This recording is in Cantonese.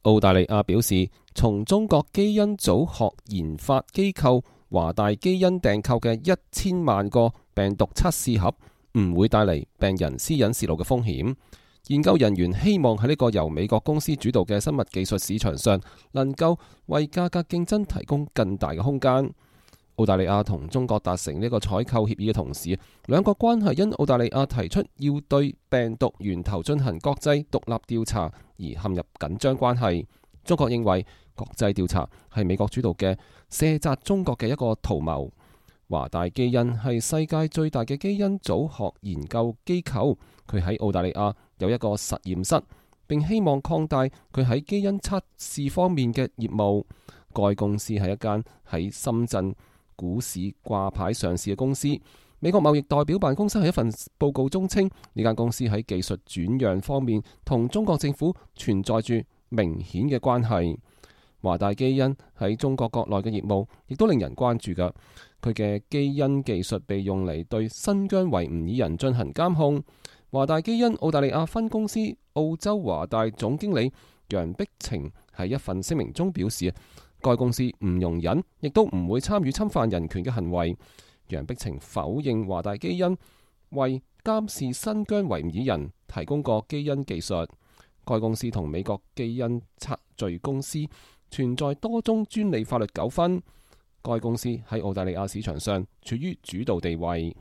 澳大利亞表示，從中國基因組學研發機構華大基因訂購嘅1000萬個病毒測試盒唔會帶嚟病人私隱洩露嘅風險。研究人員希望喺呢個由美國公司主導嘅生物技術市場上，能夠為價格競爭提供更大嘅空間。澳大利亞同中國達成呢個採購協議嘅同時，兩國關係因澳大利亞提出要對病毒源頭進行國際獨立調查而陷入緊張關係。中國認為國際調查係美國主導嘅卸責中國嘅一個圖謀。華大基因係世界最大嘅基因組學研究機構，佢喺澳大利亞有一個實驗室，並希望擴大佢喺基因測試方面嘅業務。該公司係一間喺深圳股市掛牌上市嘅公司。美國貿易代表辦公室喺一份報告中稱，呢間公司喺技術轉讓方面同中國政府存在住明顯嘅關係。華大基因喺中國國內嘅業務亦都令人關注㗎。佢嘅基因技術被用嚟對新疆維吾爾人進行監控。華大基因澳大利亞分公司澳洲華大總經理楊碧晴喺一份聲明中表示，該公司唔容忍，亦都唔會參與侵犯人權嘅行為。楊碧晴否認華大基因為監視新疆維吾爾人提供過基因技術。該公司同美國基因測序公司存在多宗專利法律糾紛。該公司喺澳大利亞市場上處於主導地位。